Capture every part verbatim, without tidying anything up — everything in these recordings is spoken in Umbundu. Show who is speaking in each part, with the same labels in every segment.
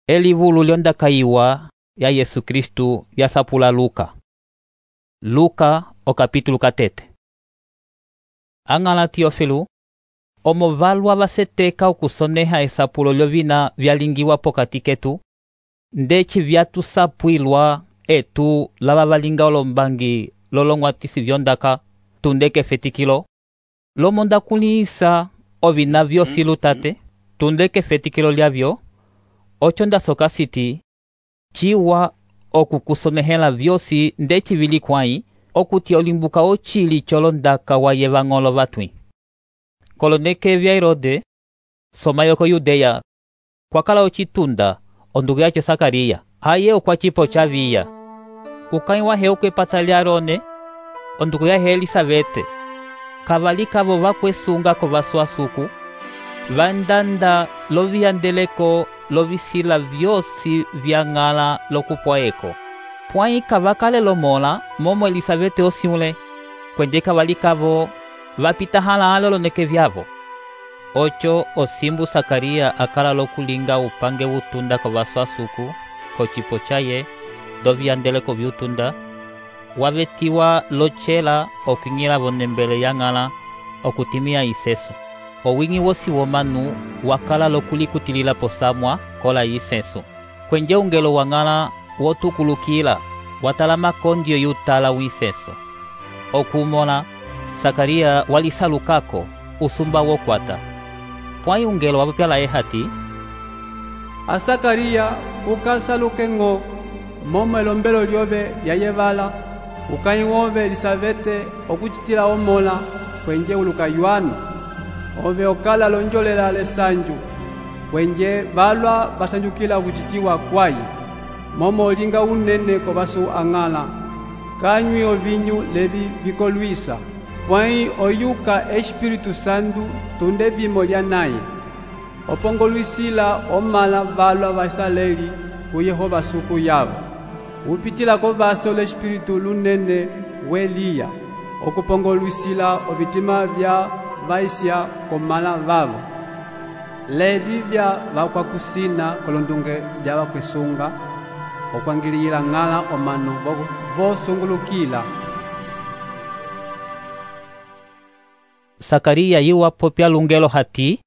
Speaker 1: Elivulu lyondakayiwa ya Yesu Kristu yasapula Luka. Luka o capítulo katete. Angala Teófilo, omo valwa vaseteka okusoneha esapulo lyovina vyalingiwa pokati ketu, ndeci vyatusapwilwa etu lava valinga olombangi lolong'watisi vyondaka tundeke fetikilo, lomonda kuliisa ovina vyosi lutate, tundeke fetikilo lyavyo, ocho ndasoka siti, ciwa okukusonehela vyosi ndeci vili kwai, okuti olimbuka ochili cholondaka wa yevang'olo vatwi. Koloneke vya Herode, soma yoko Yudeya, kwakala ochitunda, ondugu yacho Sakaria, haye okwa chipo chaviya. Ukai wahe okwepata lya Arone, ondugu yahe Elisabete, kavalika vo vakwesunga ko vaswasuku, vandanda loviyandeleko lovisila vyosi vyang'ala lokupwaeko. Pwai kavakale lomola momo Elisabete osiule, kwenje kavalikavo vapita halala oloneke vyavo. Ocho osimbu Sakaria akala lokulinga upange utunda ko vaswasuku, ko chipo chaye, doviyandeleko vyutunda, wavetiwa lochela okwing'ila vonembele yang'ala okutimia iseso. Owingi wosi womanu wakala lokulikutilila posamwa kola iseso. Kwenje ungelo wang'ala wotukulukila watala makondio yutala wiseso. Okumola Sakaria walisalukako usumba wokwata. Pwai ungelo wapyala ehati,
Speaker 2: a Sakaria ukasaluke ng'o momo elombelo lyove lyayevala, ukai wove Elisabete okucitila omola kwenje uluka Yohana, ove okala lonjolela lesanju, kwenje valwa basanjukila okucitiwa kwayi, momo olinga unene ko basu ang'ala, kanywi ovinyu levi vikolwisa, pwai oyuka Espiritu Santu tunde vimo lya naye, opongolwisila omala valwa vaisraeli ku Yehova suku yavo, upitila ko vaso l'Espiritu lunene weliya, okupongolwisila ovitima vya vaisya komala vavo, levi vya vakwakusina kolondunge vya vakwesunga, okwangilila ng'ala omanu vosungulukila.
Speaker 1: Sakaria yiwa popya lungelo hati,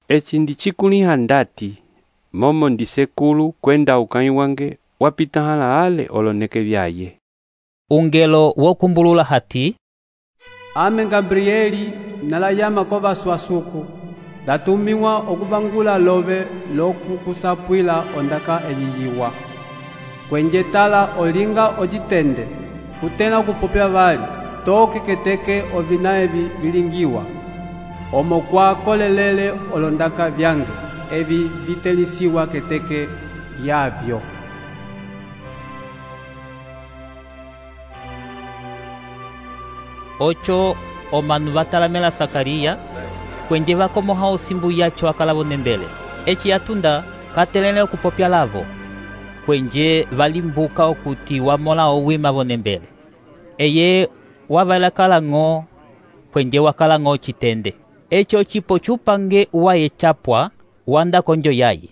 Speaker 3: eci ndicikuliha ndati, momo ndisekulu kwenda ukai wange wapita halahale oloneke vyaye.
Speaker 1: Ungelo wokumbulula hati,
Speaker 2: ame Gabrieli nalayama ko vaswasuku, datumiwa okuvangula love lokukusapwila ondaka eyiyiwa. Kwenje tala olinga ocitende, kutena okupopya vali, toke keteke ovina evi vilingiwa, omo kwa kolelele olondaka vyange, evi vitelisiwa keteke yavyo.
Speaker 1: Ocho omanu vatalamela Sakaria, kwenje vakomoha osimbu yacho akala vonembele. Eci yatunda katelele okupopya lavo, kwenje valimbuka okuti wamola owima vonembele. Eye wavalakala ng'o, kwenje wakala ng'o citende. Echo chipo chupange uwaye chapwa, wanda konjo yaye.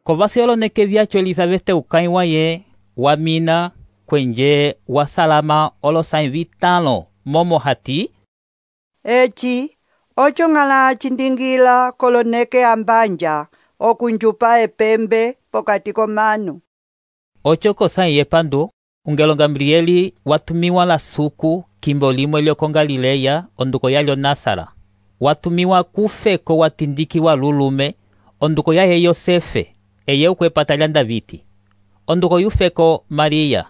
Speaker 1: Kovasi oloneke vyacho Elisabete ukai waye, wamina, kwenje wasalama olosai vitalo, momo hati,
Speaker 4: eci ocho ng'ala cindingila koloneke ambanja okunjupa epembe pokati komanu.
Speaker 1: Ocho kosai yepandu, ungelo Gabrieli watumiwa la suku kimbo limo iliyoko Galileya onduko yalyo Nasara. Watumiwa kufeko watindikiwa lulume onduko yaye Yosefe, eye ukwepata lya Daviti. Onduko yufeko Maria,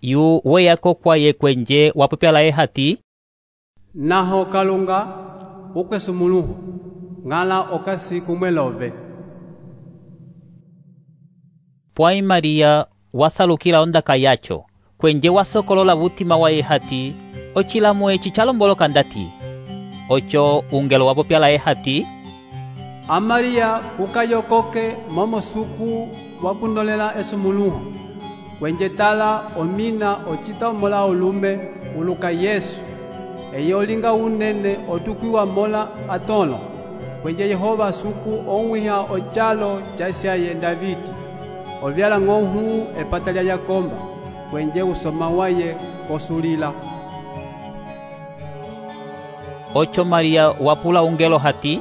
Speaker 1: yu weyako kwaye kwenje wapopyala ehati,
Speaker 2: naho kalunga ukwesumuluhu, ng'ala okasi kumwelove.
Speaker 1: Pwai Maria wasalukila ondaka yacho, kwenje wasokolola vutima wa ehati, ochilamu eci chalomboloka ndati. Ocho ungelo wapopyala ehati,
Speaker 2: a Maria kukayokoke momo suku wakundolela esumuluhu, kwenje tala omina ocita omola olume uluka Yesu, eye olinga unene otukwiwa mola atolo, kwenje Yehova suku onwiha ochalo chasyaye Daviti, ovyala ng'ohu epata lya yakomba kwenje usoma waye kosulila.
Speaker 1: Ocho Maria wapula ungelo hati,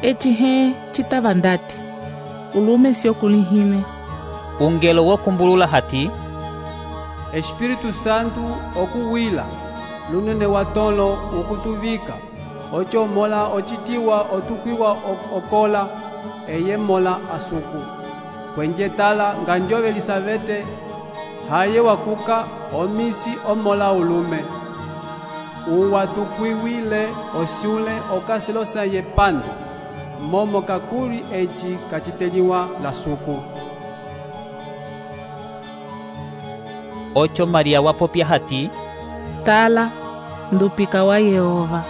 Speaker 5: eci he citava ndati ulume sio kulihile.
Speaker 1: Ungelo wokumbulula hati,
Speaker 2: Espírito Santo okuwila lunene watolo ukutuvika ocho mola ocitiwa otukwiwa okola eye mola asuku kwenje tala ngandjove Elisabete haye wakuka omisi omola ulume uwatukwiwile osyule okasilosa ye pandu momo kakuli eci kaciteliwa la suku.
Speaker 1: Ocho Maria wapopya hati,
Speaker 5: tala ndupika wa Yehova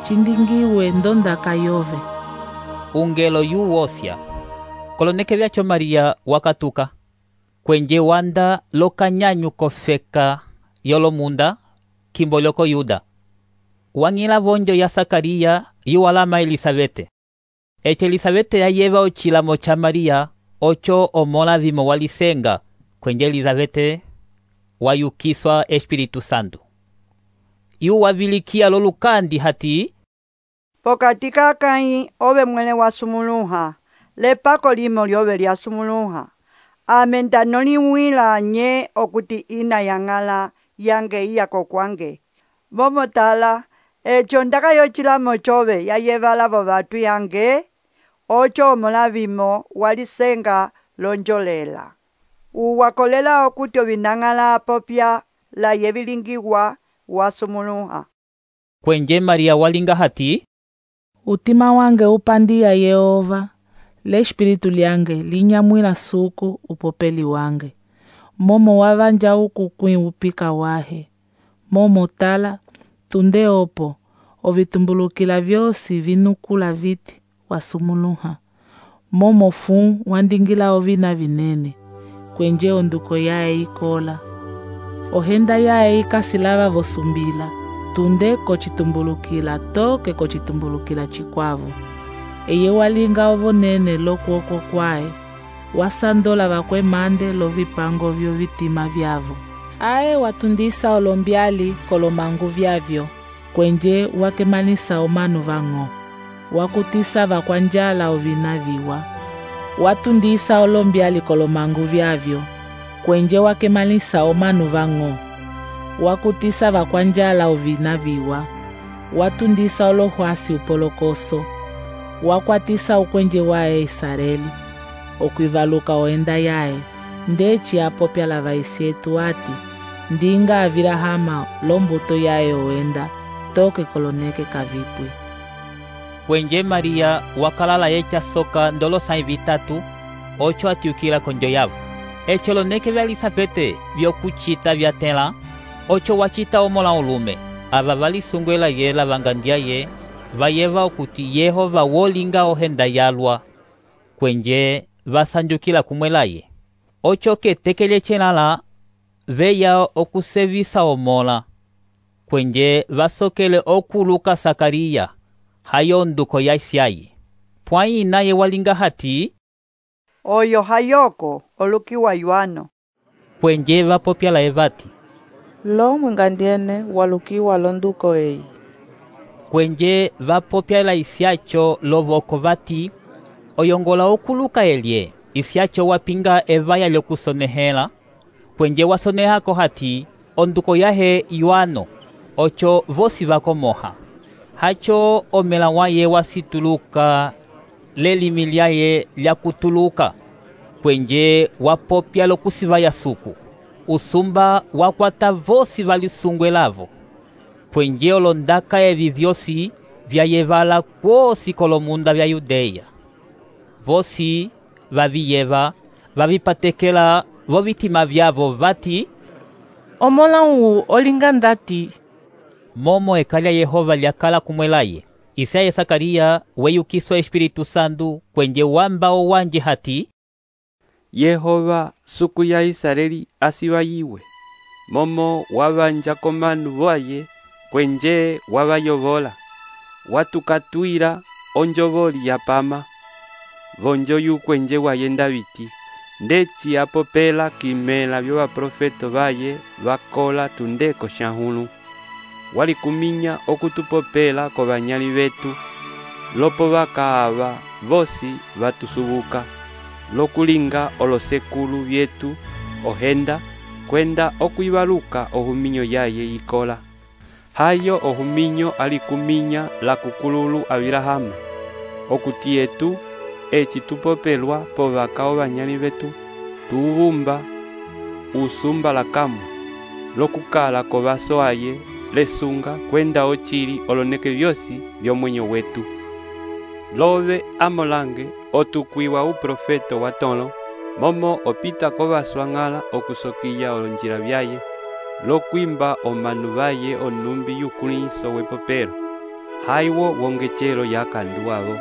Speaker 5: cindingiwe ndondaka yove.
Speaker 1: Ungelo yuwosya koloneke vyacho Maria wakatuka kwenje wanda lokanyanyu kofeka yolomunda kimbo lyoko Yuda. Wang'ila vonjo ya Sakaria yuwalama Elisabete. Ece Elisabete yayeva ochilamo cha Maria ocho omola vimo walisenga kwenje Elisabete wayukiswa Espiritu Santo. Yu wavilikia lolukandi hati,
Speaker 4: pokati kakai ove mwele wasumuluha lepako limo lyove lyasumuluha amenda noliwila nye okuti ina yang'ala yange iyako kwange momotala echo ndakayochilamo chove yayevala vo vatu yange ocho omolavimo walisenga lonjolela uwakolela okuti ovinang'ala popya la yevilingiwa wasumuluha.
Speaker 1: Kwenje Maria walinga hati,
Speaker 5: utima wange upandia Yehova le espiritu lyange linyamwila suku upopeli wange momo wavanja ukukwi upika wahe momo tala tunde opo ovitumbulukila vyosi vinukula viti wasumuluha momo fu wandingila ovina vinene kwenje onduko yae ikola ohenda yae ikasilava vosumbila tunde kochitumbulukila toke kochitumbulukila chikwavu eye walinga ovonene lokuoko kwae wasandola vakwe mande lovipango vyo vitima vyavo ae watundisa olombyali kolomangu vyavyo kwenje wakemalisa omanu vang'o wakutisa vakwanjala ovina viwa watundisa olombyali kolomangu vyavyo kwenje wakemalisa omanu vang'o wakutisa vakwanjala ovina viwa watundisa olohwasi upolokoso wakwatisa ukwenje wae Israeli okwivaluka oenda yae ndeci apopya la vaisietu ati ndinga avirahama lombuto yae oenda toke koloneke kavipwi.
Speaker 1: Kwenje Maria wakalala yecha soka ndolo sai vitatu ocho atiukila konjo yavo echo loneke vya Elisabete vyokuchita vyatela ocho wachita omola ulume ava valisungwela yela vangandia ye vayeva okuti Yehova wolinga ohenda yalwa kwenje vasanjukila kumwelaye ocho ketekele chenala veya okusevisa omola kwenje vasokele okuluka Sakaria hayo nduko ya Isiayi pwai naye walinga hati,
Speaker 4: oyo hayoko olukiwa yuano
Speaker 1: kwenje vapopya la evati
Speaker 5: lo mwengandiene walukiwa londuko eyi
Speaker 1: kwenje vapopya la isiacho lovoko vati oyongola okuluka elie isiacho wapinga evaya lyokusonehela kwenje wasonehako hati onduko yahe yuano ocho vosi vakomoha hacho omela waye wasituluka lelimi lyaye lyakutuluka kwenje wapopya lokusivaya suku usumba wakwata vosi valisungwelavo kwenje olondaka evi vyosi vyayevala kwosi kolomunda vya Yudeya vosi vaviyeva vavipatekela vo vitima vyavo vati
Speaker 5: omola uu olinga ndati
Speaker 1: momo ekalya Yehova lyakala kumwelaye Isaye Sakaria weyukiswa Espiritu Santo kwenje wamba owanje hati
Speaker 3: Yehova suku ya Israeli asivayiwe momo wavanja komanu voye kwenje wavayovola watukatwira onjovoli ya pama vonjo yu kwenje wayenda viti ndeci apopela kimela vyo baprofeto baye bakola tundeko xahulu. Walikuminya okutupopela ko banyali betu, lopo bakaaba bosi batusubuka, lokulinga olosekulu byetu ohenda, kwenda okwibaluka ohuminyo yaye ikola. Hayo ohuminyo alikuminya la kukululu Abirahamu, okuti etu eci tupopelwa po bakao banyali betu, tuubumba usumba la kamu, lokukala ko baso aye lesunga kwenda ochili oloneke byosi byomwenyo wetu. Lobe amolange otukwiwa uprofeto watolo, momo opita ko baswangala okusokiya olonjila byaye, lokwimba omanu baye onumbi yukuliso wepopelo. Haiwo wongechelo yakandu abo,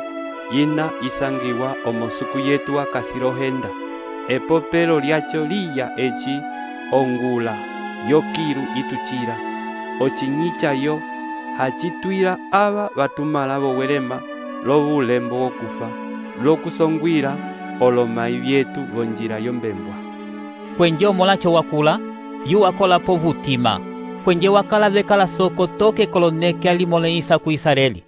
Speaker 3: ina isangiwa omosuku yetu akasilohenda. Epopelo lyacho liya eci ongula yokiru ituchira. Ochinyicha yo hachitwira aba batumala bowelema lobulembo wokufa, lokusongwira olomai byetu bonjira yombembwa.
Speaker 1: Kwenje omolacho wakula yu wakola povutima, kwenje wakala bekala soko toke koloneke alimoleisa ku Israeli.